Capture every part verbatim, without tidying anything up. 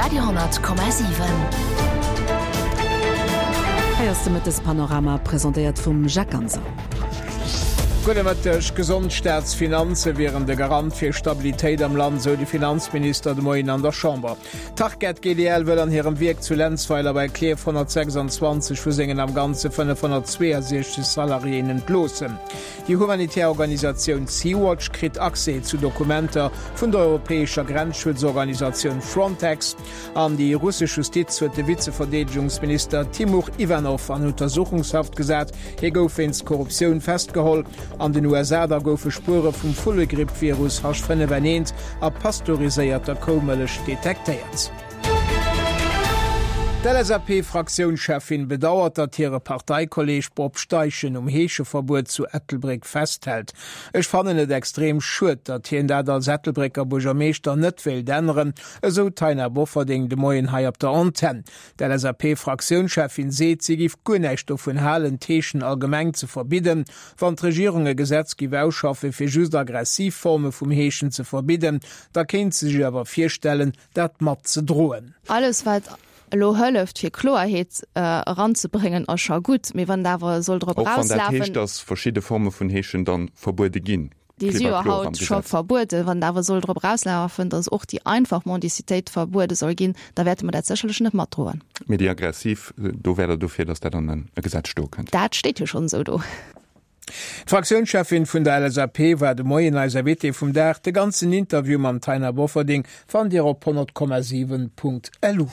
Radio honnert Komma siwen. Hei ass de Mëttespanorama, presentéiert vum Jacques Ganser. Gudde Mëtteg. Gesond Staatsfinanze wieren de Garant fir Stabilitéit am Land, sou de Finanzminister de Moien an der Chamber. D'Tarkett G D L wëll an hirem Wierk zu Lenzweiler bei Klierf honnertsechsanzwanzeg vu sengen am Ganze fënnefhonnertzweeënsechzeg Salariéen entloossen. Déi humanitär Organisatioun Sea-Watch kritt Accès zu Dokumenter vun der europäescher Grenzschutzorganisatioun Frontex. An déi russesch Justiz huet de Vizeverdeedegungsminister Timur Iwanow an Untersuchungshaft gesat. Hie gouf wéinst Korruptioun festgeholl. An den U S A da goufe Spuere vum Vullegripp-Virus H fënnef N eent a pasteuriséierter Koumëllech detektéiert. D'L S A P-Fraktiounscheffin bedauert, datt hire Parteikolleeg Bob Steichen um Heescheverbuet zu Ettelbréck festhält. Ech fannen et extrem schued, datt hien dat als Ettelbrécker Buergermeeschter net wéilt änneren, esou d'Taina Bofferding de Moien hei op der Antenn. D'L S A P-Fraktiounscheffin seet, si giff guer näischt dovun halen, d'Heeschen allgemeng ze verbidden. Wann d'Regierung e Gesetz giff ausschaffe fir just aggressiv Forme vum Heeschen ze verbidden, da kéint se sech awer virstellen, dat mat ze droen. Alles wat elo hëlleft fir Kloerheet eranzebréngen ass scho gutt, mee wann et awer soll drop Och wann dat erauslafen, heescht, dass verschidde Forme vun Heeschen dann verbuede ginn? Déi si Klipp a jo kloer am haut scho Gesetz. verbueden. Wann et awer soll drop erauslafen, dass och déi einfach Mendicitéit verbuede soll ginn, da wäerte mer dat sécherlech net matdroen. Mee déi aggressiv, do wäert Der dofir, dass dat an e Gesetz stoe kënnt? Dat steet jo schonn esou do. D'Fraktiounscheffin vun der L S A P war de Moien eis Invitée vum Dag. De ganzen Interview mam Taina Bofferding fannt Dir op honnert Komma siwen Punkt L U.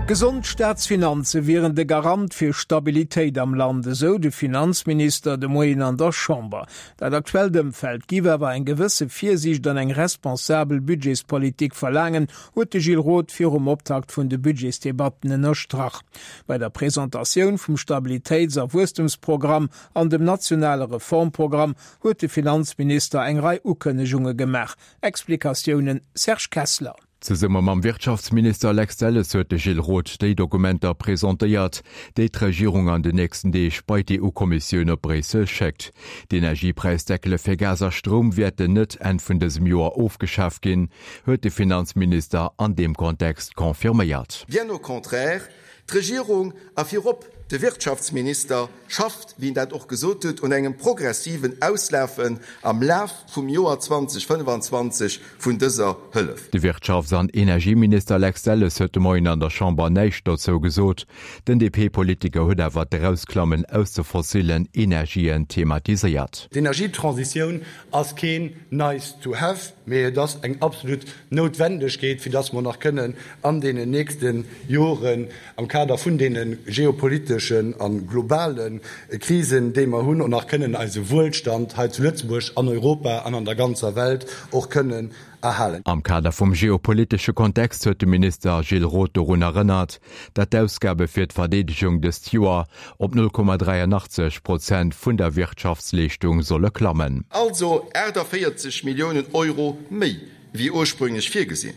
Gesond Staatsfinanze wieren de Garant fir Stabilitéit am Land, esou de Finanzminister de Moien an der Chamber. Dat aktuellt Ëmfeld giff awer eng gewësse Virsiicht an eng responsabel Budgetspolitik verlaangen, huet de Gilles Roth virum Optakt vun de Budgetsdebatten ënnerstrach. Bei der Presentatioun vum Stabilitéits a Wuesstemsprogramm an dem nationale Reformprogramm huet de Finanzminister eng Rei Ukënnegunge gemaach. Explikatiounen Serge Kessler. Zesumme mam Wirtschaftsminister Lex Delles huet de Gilles Roth déi Dokumenter presentéiert, déi d'Regierung an den nächsten Deeg bei d'E U-Kommissioun op Bréissel schéckt. D'Energiepräisdeckele fir Gas a Stroum wäerten net Enn vun dësem Joer ofgeschaaft ginn, huet de Finanzminister an deem Kontext confirméiert. Bien au contraire, d'Regierung a virop de Wirtschaftsminister schafft, wéi en dat och gesot huet, un engem progressiven Auslafen am Laf vum Joer zweedausendfënnefanzwanzeg vun dëser Hëllef. De Wirtschafts an Energieminister Lex Delles huet de Moien an der Chamber näischt dozou gesot. Den D P-Politiker huet awer d'Erausklammen aus de fossillen Energien thematiséiert. D'Energietransitioun ass keen nice to have, mee et ass eng absolut Noutwendegkeet, fir dass mer nach kënnen an deenen nächste Joren am Kader vun deene geopoliteschen a globale Krisen, déi mer hunn, och nach kënnen eise Wuelstand hei zu Lëtzebuerg, an Europa an an der ganzer Welt och kënnen erhalen. Am Kader vum geopolitesche Kontext huet de Minister Gilles Roth dorun erënnert, datt d'Ausgabe fir d'Verdeedegung dëst Joer op null Komma dräianachtzeg Prozent vun der Wirtschaftsleeschtung solle klammen. Also aachtavéierzeg Milliounen Euro méi wéi ursprünglech virgesinn.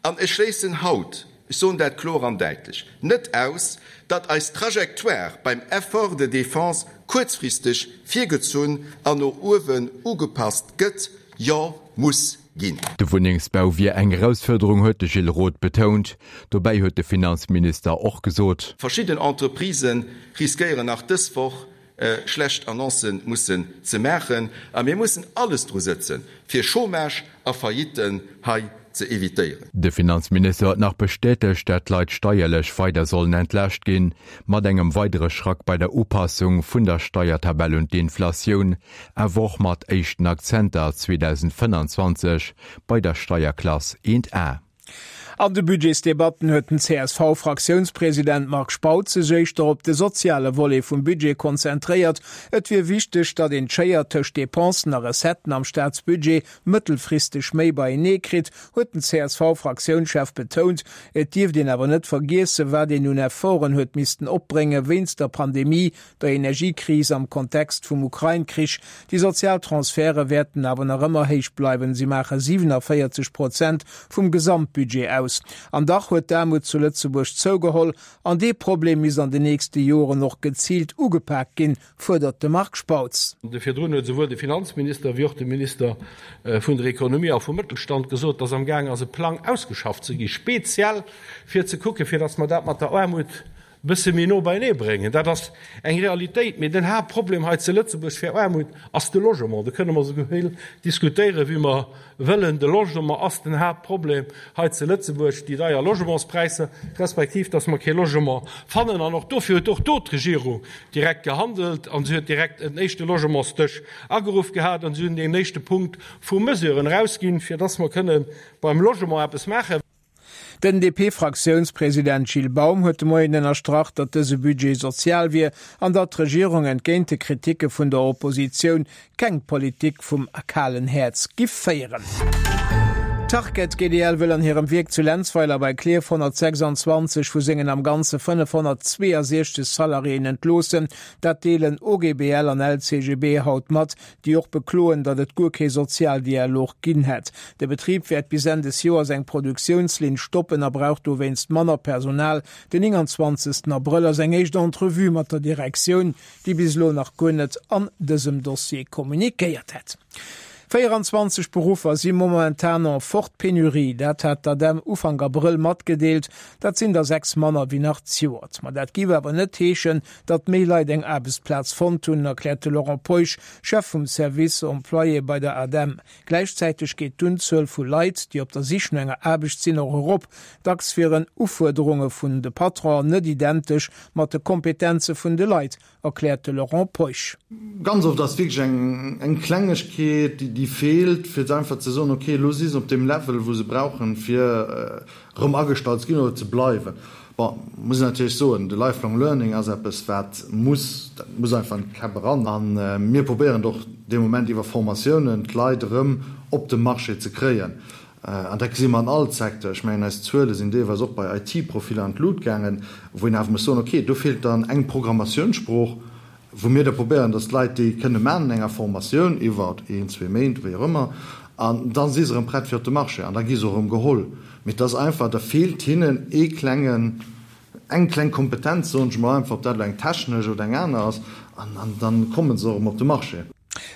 An ech schléissen haut, ech soen dat kloer an däitlech, net aus, datt eis Trajectoire beim Effort de défense kuerzfristeg virgezunn an no uewen ugepasst gëtt, jo muss ginn. De Wunnengsbau wier eng Erausfuerderung, huet de Gilles Roth betount. Dobäi huet de Finanzminister och gesot. Verschidden Entreprisë riskéieren nach dës Woch schlecht Annoncë mussen ze maachen a mir mussen alles dru sëtzen, fir Chômage a Faillitten hei ze evitéieren. De Finanzminister huet nach bestätegt, datt d'Leit steierlech weider sollen entlaascht ginn, mat engem weidere Schrack bei der Upassung vun der Steiertabell un d'Inflatioun, awer och mat éischten Akzenter zweedausendfënnanzwanzeg bei der Steierklass eent A. An de Budgetsdebatten huet den C S V-Fraktiounspresident Marc Spautz sech éischter op de soziale Volet vum Budget konzentréiert. Et wier wichteg, datt een d'Schéier tëscht Depensen a Recetten am Staatsbudget mëttelfristeg méi beienee kritt, huet den C S V-Fraktiounschef betount. Et dierft een awer net vergiessen, wat een un Efforten huet missten opbrénge wéinst der Pandemie, der Energiekris am Kontext vum Ukrain-Krich. Déi sozial Transferte wäerten awer nach ëmmer héich bleiwen, si maache siewenenvéierzeg Prozent vum Gesamtbudget aus. grouss. An dach huet d'Aarmut zu Lëtzebuerg zougeholl an dee Problem misst an den nächste Joren och geziilt ugepak ginn, fuerdert de Marc Spautz. Virdrun huet esouwuel de Finanzminister wéi och de Minister vun der Ekonomie a vum Mëttelstand gesot, dass amgaang ass e Plang ausgeschafft ze gi speziell fir ze kucken, fir dass mer dat mat der Aarmut e bësse méi no beienee bréngen. Dat ass eng Realitéit. Mee den Haaptproblem hei zu Lëtzebuerg fir Aarmut ass de Logement. Do kënne mer esou vill diskutéieren, wéi mer wëllen. De Logement ass den Haaptproblem hei zu Lëtzebuerg, déi deier Logementspräisser, respektiv dass mer kee Logement fannen. An och dofir huet och do d'Regierung direkt gehandelt an si huet direkt en éischte Logementsdësch ageruff gehat an si hunn deen éischte Punkt vu Mesuren erausginn, fir dass mer kënne beim Logement eppes maachen. Den D P-Fraktiounspresident Gilles Baum huet de Moien ënnerstrach, datt dëse Budget sozial wier an datt d'Regierung entgéint de Kriticke vun der Oppositioun keng Politik vum kalen Häerz giff féieren. D'Tarket G D L wëll an hirem Wierk zu Lenzweiler bei Klierf honnertsechsanzwanzeg vu sengen am Ganze fënnefhonnertzweeënsechzeg Salariéen entloossen. Dat deelen O G B L an L C G B haut mat, déi och bekloen, datt et guer kee Sozialdialog ginn hätt. De Betrib wäert bis Enn des Joers eng Produktiounslinn stoppen a brauch dowéinst manner Personal. Den nénganzwanzegsten Abrëll ass eng éischt Entrevue mat der Direktioun, déi bis elo nach guer net an dësem Dossier kommunikéiert hätt. Véieranzwanzeg Beruffer si momentan en forte pénurie, dat hat d'ADEM Ufank Abrëll matgedeelt. Dat sinn der sechs manner wéi nach zejoert. Ma dat giff awer net heeschen, datt méi Leit eng Aarbechtsplaz fonnt hunn, erkläert de Laurent Peusch, Chef vum Service Employé bei der ADEM. Gläichzäiteg geet d'Unzuel vu Leit, déi op der Sich no enger Aarbecht sinn, och erop. Dacks wieren Ufuerderunge vun de Patronen net identesch mat de Kompetenze vun de Leit, erkläert de Laurent Peusch. Ganz oft ass wierklech eng eng Klengegkeet, déi déi feelt, fir einfach ze soen, okay, elo si se op deem Level, wou se brauchen, fir erëm agestallt ze ginn oder ze bleiwen. Bon, muss een natierlech soen, de Lifelong Learning ass eppes, wat muss, dat muss einfach an d'Käpp eran. A mir probéieren et och dee Moment iwwer Formatiounen, d'Leit erëm op de Marché ze kréien. An dat gesi mer an all Secteur. Ech mengen, eis Zuele sinn deelweis och bei I T-Profiller an d'Lut gaangen, wou een awer muss soen, okay, do feelt dann eng Programmatiounssprooch, wou mir da probéieren, dass d'Leit déi kënne maachen an enger Formatioun iwwer een, zwee Méint, wéi och ëmmer, an da si se erëm prett fir op de Marché an da gi se och erëm geholl. Mee et ass einfach, da feelt hinnen ee klengen, eng kleng Kompetenz, soen ech mol einfach, ob dat elo eng technesch oder eng aner ass, an da komme se och erëm op de Marché.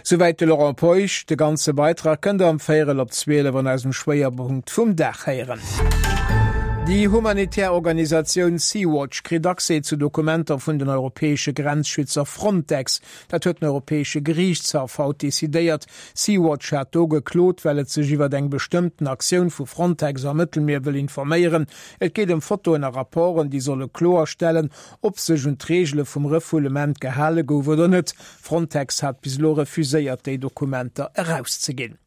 Souwäit de Laurent Peusch. De ganze Beitrag kënnt der am Véierel op zwielef an eisem Schwéierpunkt vum Dag héieren. Déi humanitär Organisatioun Sea-Watch kritt Accès zu Dokumenter vun den europäesche Grenzschützer Frontex. Dat huet den europäesche Geriichtshaff haut decidéiert. Sea-Watch hat do geklot, well et sech iwwer eng bestëmmten Aktioun vu Frontex am Mëttelmier wëll informéieren. Et geet ëm Fotoen a Rapporten, déi solle kloerstellen, ob sech un d'Reegele vum Refoulement gehale gouf oder net. Frontex hat bis elo refuséiert, déi Dokumenter erauszeginn.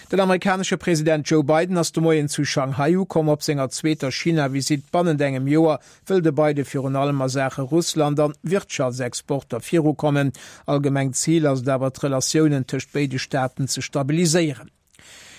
Den amerikanesche President Joe Biden ass de Moien zu Shanghai ukomm. Op senger zweeter China-Visitt bannent engem Joer wëll de Biden virun allem a Saache Russland an Wirtschaftsexporter virukommen. Allgemengt Zil ass et awer d'Relatiounen tëscht béide Staaten ze stabiliséieren.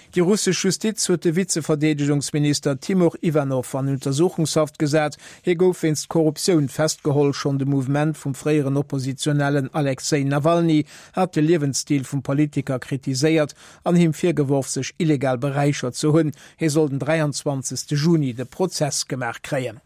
Déi russesch Justiz huet de Vizeverdeedegungsminister Timur Iwanow an Untersuchungshaft gesat. Hie gouf wéinst Korruptioun festgeholl. Schonn de Mouvement vum fréieren Oppositionellen Alexej Nawalny hat de Liewensstil vum Politiker kritiséiert an him virgeworf, sech illegal beräichert ze hunn. Hie soll den dräianzwanzegste Juni de Prozess gemaach kréien.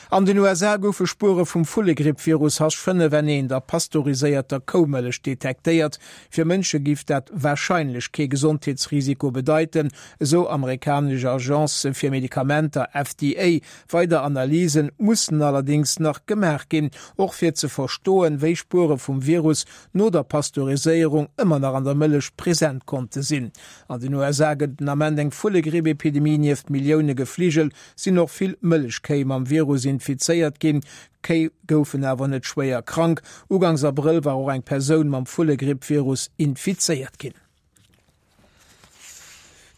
An den U S A goufe Spuere vum Vullegripp-Virus H fënnef N eent a pasteuriséierter Koumëllech detektéiert. Fir Mënsche giff dat warscheinlech kee Gesondheetsrisiko bedeiten, esou amerikanesch Agence fir Medikamenter F D A. Weider Analyse mussen allerdéngs nach gemaach ginn, och fir ze verstoen, wéi Spuere vum Virus no der Pasteuriséierung ëmmer nach an der Mëllech present konnte sinn. An den U S A gëtt den Ament eng Vullegripp-Epidemie. Nieft Millioune Gefligel sinn och vill Mëllechkéi mam Virus infizéiert ginn. Kéi goufen awer net schwéier krank. Ugangs Abrëll war och eng Persoun mam Vullegripp-Virus infizéiert ginn.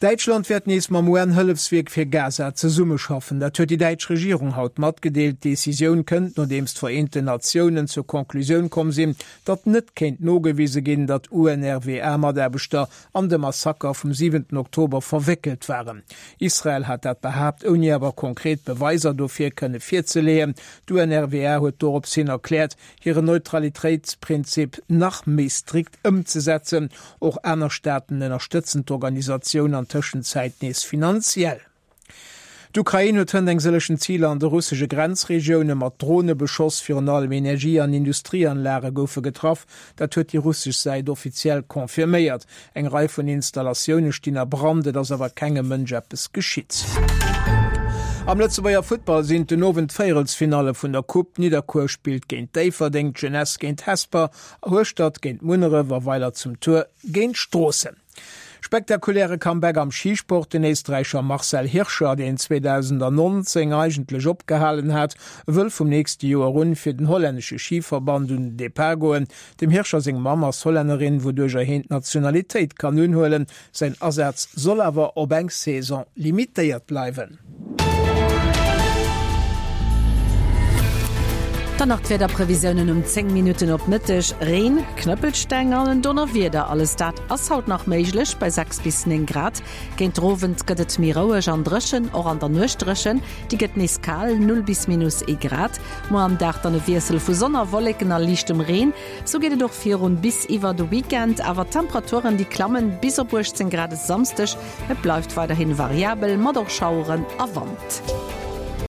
Däitschland wäert nees mam U N-Hëllefswierk fir Gaza zesummeschaffen. Dat huet déi däitsch Regierung haut matgedeelt. D'Decisioun kënnt, nodeems d'Vereenten Natiounen zur Conclusioun komm sinn, datt net kéint nogewise ginn, datt U N R W A-Mataarbechter an de Massaker vum siwenten Oktober verwéckelt waren. Israel hat dat behaapt, ouni awer konkret Beweiser dofir kënne virzeleeën. D'U N R W A huet dorops hin erkläert, hiren Neutralitéitsprinzip nach méi strikt ëmzesetzen. Och aner Staaten ënnerstëtzen d'Organisatioun an Tëschenzäit nees finanziell. D'Ukrain huet hënt eng sëllechen Ziler an de russesche Grenzregioune mat Drone beschoss. Virun allem Energie an Industrieanlage goufe getraff. Dat huet déi russesch Säit offiziell confirméiert. Eng Rei vun Installatioune stinn a Brand, et ass awer kengem Mënsch eppes geschitt. Am Lëtzebuerger Futtball sinn den Owend d'Véierelsfinalle vun der Coupe. Nidderkuer spillt géint Déifferdeng, d'Jeunesse géint Hesper, Hueschtert géint Munneref a Weiler zum Tuer géint Stroossen. Spektakuläre Comeback am Schisport, Den Éisträicher Marcel Hirscher, deen zweedausendannonzéng eigentlech opgehalen hat, wëll vum nächste Joer un fir den hollännesche Schiverband un den Depart goen. Dem Hirscher seng Mamm ass Hollännerin, wouduercher hien d'Nationalitéit kann unhuelen. Säin Asaz soll awer op eng Saison limitéiert bleiwen. Dann nach d'Wiederprevisiounen um zéng Minutten op Mëtteg, Reen, Knëppelsteng an en Donnerwieder, alles dat ass haut nach méiglech bei sechs bis néng Grad. Géint den Owend gëtt et méi roueg an dréchen, och an der Nuecht dréchen, déi gëtt nees kal, null bis minus ee Grad. Muer am Dag dann e Wiessel vu Sonn a Wolleken a liichtem Reen. Sou geet et och virun bis iwwer de Weekend, awer d'Temperaturen déi klammen bis op uechtzéng Grad e Samsdeg. Et bleift weiderhin variabel mat och Schaueren a Wand.